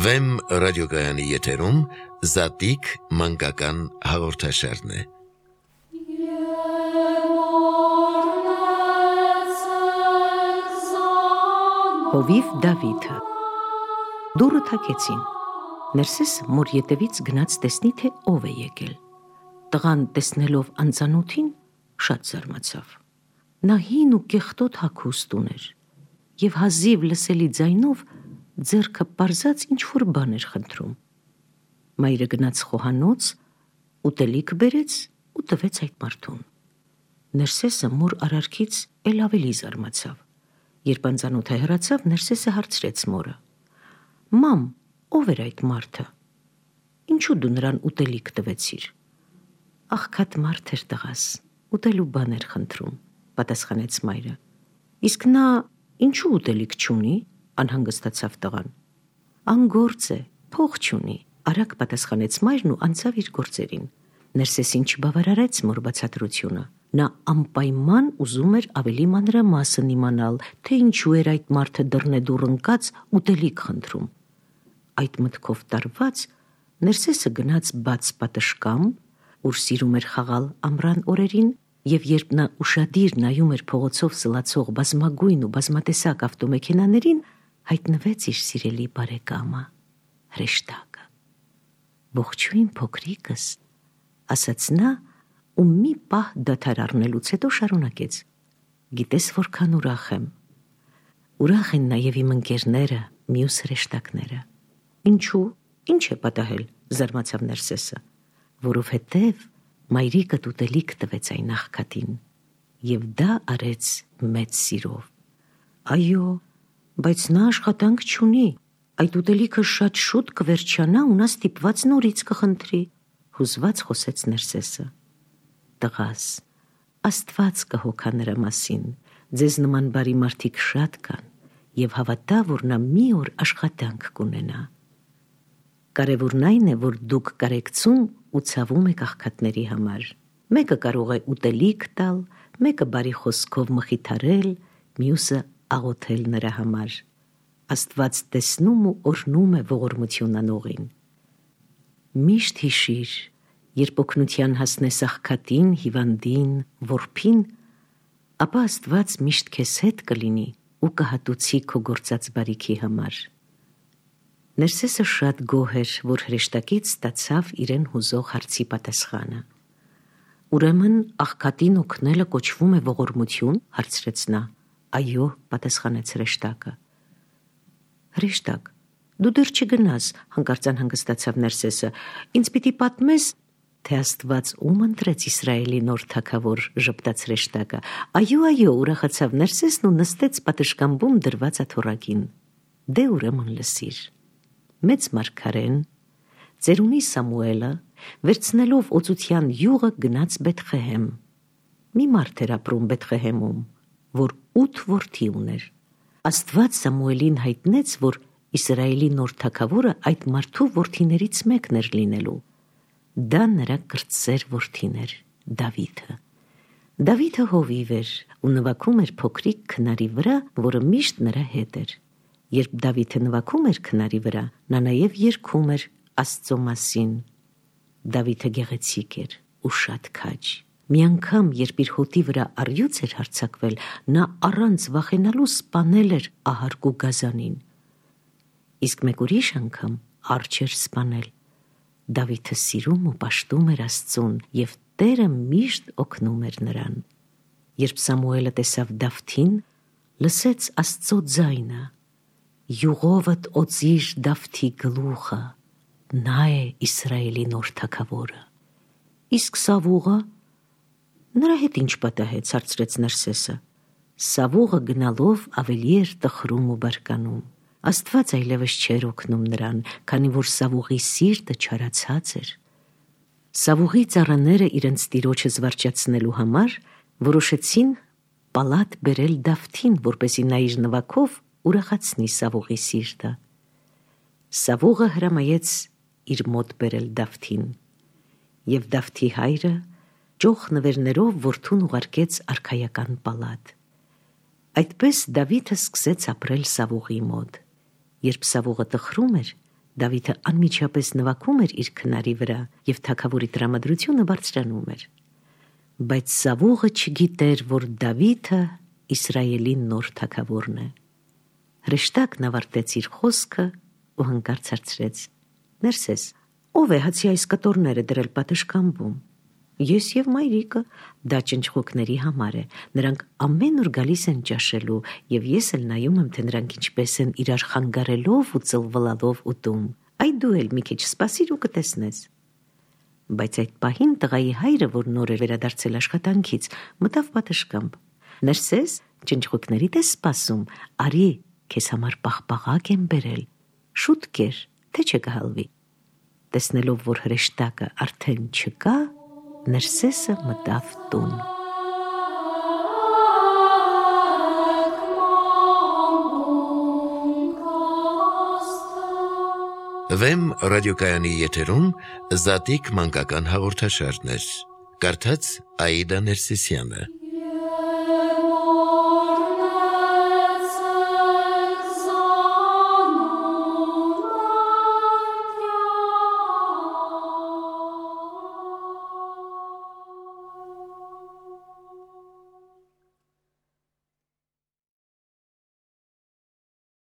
Վեմ ռադիոգայանի եթերում Զատիկ մանկական հաղորդաշարն է։ Հովիվ Դավիթը դուռը թակեցին։ Ներսեսը մոր ետևից գնաց տեսնի, թե ով է եկել։ Տղան տեսնելով անծանոթին շատ զարմացավ։ Նա հին ու կեղտոտ հագուստ ուներ և հազիվ լսելի ձայնով ձեռքը պարզած ինչ-որ բան էր խնդրում։ Մայրը գնաց խոհանոց, ուտելիք բերեց ու տվեց այդ մարդուն։ Ներսեսը մոր արարքից էլ ավելի զարմացավ։ Երբ անծանոթը հեռացավ, Ներսեսը հարցրեց մորը. «Մամ, ով էր այդ մարդը։ Ինչու դու նրան ուտելիք տվեցիր»։ «Աղքատ մարդ էր տղաս, ուտելու բան էր խնդրում», պատասխանեց մայրը։ «Իսկ նա ինչու ուտելիք չունի», անհանգստացավ տղան։ «Անգործ է, փող չունի», արագ պատասխանեց մայրն ու անցավ իր գործերին։ Ներսեսին չբավարարեց մոր բացատրությունը։ Նա անպայման ուզում էր ավելի մանրամասն իմանալ, թե ինչու էր այդ մարդը դռնեդուռ ընկած ուտելիք խնդրում։ Այդ մտքով տարված, Ներսեսը գնաց բաց պատշգամբ, ուր սիրում էր խաղալ ամռան օրերին, և երբ նա ուշադիր նայում էր փողոցով սլացող բազմագույն ու բազմատեսակ ավտոմեքենաներին, հայտնվեց իր սիրելի բարեկամը, հրեշտակը։ «Ողջույն փոքրիկս», ասաց նա ու մի պահ դադար առնելուց հետո շարունակեց. «Գիտես որքան ուրախ եմ։ Ուրախ են նաև իմ ընկերները, մյուս հրեշտակները»։ «Ինչու, ինչ է պատահել», զարմացավ Ներսեսը։ «Որովհետև մայրիկդ ուտելիք տվեց այն աղքատին, և դա արեց մեծ սիրով»։ «Այո, բայց նա աշխատանք չունի, այդ ուտելիքը շատ շուտ կվերջանա ու նա ստիպված նորից կխնդրի», հուզված խոսեց Ներսեսը։ «Տղաս, Աստված կհոգա նրա մասին, ձեզ նման բարի մարդիկ շատ կան, և հավատա, որ նա մի օր աշխատանք կունենա։ Կարևորն այն է, որ դուք կարեկցում ու ցավում եք աղքատների համար։ Մեկը կարող է ուտելիք տալ, մեկը բարի խոսքով մխիթարել, մյուսը աղոթել նրա համար։ Աստված տեսնում ու օրհնում է ողորմություն անողին։ Միշտ հիշիր, երբ օգնության հասնես աղքատին, հիվանդին, որբին, ապա Աստված միշտ քեզ հետ կլինի ու կհատուցի քո գործած բարիքի համար»։ Ներսեսը շատ գոհ էր, որ հրեշտակից ստացավ իրեն հուզող հարցի պատասխանը։ «Ուրեմն աղքատին օգնելը կոչվում է ողորմություն», հարցրեց նա։ «Այո», պատասխանեց հրեշտակը։ «Հրեշտակ, դու դեռ չգնաս», հանկարծ անհանգստացավ Ներսեսը։ «Ինձ պիտի պատմես, թե Աստված ում ընտրեց Իսրայելի նոր թագավոր», ժպտաց հրեշտակը։ «Այո», ուրախացավ Ներսեսն ու նստեց պատշգամբում դրված աթոռակին։ «Դե ուրեմն լսիր։ Մեծ մարգարեն, ծերունի Սամուելը, վերցնելով օծության յուղը, գնաց Բեթղեհեմ։ Մի մարդ էր ապրում Բեթղեհեմում, որ 8 որդի ուներ։ Աստված Սամուելին հայտնեց, որ Իսրայելի նոր թագավորը այդ մարդու որդիներից մեկն էր լինելու։ Դա նրա կրտսեր որդին էր, Դավիթը։ Դավիթը հովիվ էր ու նվագում էր փոքրիկ քնարի վրա, որը միշտ նրա հետ էր։ Երբ Դավիթը նվագում էր քնարի վրա, նա նաև երգում էր Աստծո մասին։ Դավիթը գեղեցիկ էր ու շատ քաջ։ Մի անգամ, երբ իր հոտի վրա առյուծ էր հարձակվել, նա առանց վախենալու սպանել էր ահարկու գազանին։ Իսկ մեկ ուրիշ անգամ արջ էր սպանել։ Դավիթը սիրում ու պաշտում էր Աստծուն, և Տերը միշտ օգնում էր նրան։ Երբ Սամուելը տեսավ Դավթին, լսեց Աստծո ձայնը. «Յուղովդ օծիր Դավթի գլուխը, նա է Իսրայելի նոր թագավորը»։ «Իսկ Սավուղը, նրա հետ ինչ պատահեց», հարցրեց Ներսեսը։ Սավուղը գնալով ավելի էր տխրում ու բարկանում։ Աստված այլևս չէր օգնում նրան, քանի որ Սավուղի սիրտը չարացած էր։ Սավուղի ծառաները իրենց տիրոջը զվարճացնելու համար որոշեցին պալատ բերել Դավթին, որպեսզի նա իր նվագով ուրախացնի Սավուղի սիրտը։ Սավուղը հրամայեց իր մոտ բերել Դավթին, և Դավթի հայրը ճոխ նվերներով որդուն ուղարկեց արքայական պալատ։ Այդպես Դավիթը սկսեց ապրել Սավուղի մոտ։ Երբ Սավուղը տխրում էր, Դավիթը անմիջապես նվագում էր իր քնարի վրա և թագավորի տրամադրությունը բարձրանում էր։ Բայց Սավուղը չգիտեր, որ Դավիթը Իսրայելի նոր թագավորն է։ Հրեշտակն ավարտեց իր խոսքը ու հանկարծ հարցրեց. «Ներսես, ով է հացի այս կտորները դրել պատշգամբում»։ «Ես և մայրիկը», դա ճնճղուկների համար է, նրանք ամեն օր գալիս են ճաշելու, և ես էլ նայում եմ, թե նրանք ինչպես են իրար խանգարելով ու ծլվլալով ուտում։ Այ դու էլ մի քիչ սպասիր ու կտեսնես։ Բայց այդ պահին տղայի հայրը, որ նոր էր վերադարձել աշխատանքից, մտավ պատշգամբ։ «Ներսես, ճնճղուկներիդ ես սպասում, արի, քեզ համար պաղպաղակ եմ բերել, շուտ կեր, թե չկհալվի»։ Տեսնելով, որ հրեշտակը արդեն չկա, Ներսեսը մտավ տուն։ Վեմ ռադիոկայանի եթերում Զատիկ մանկական հաղորդաշարներ։ Կարդաց Աիդա Ներսիսյանը։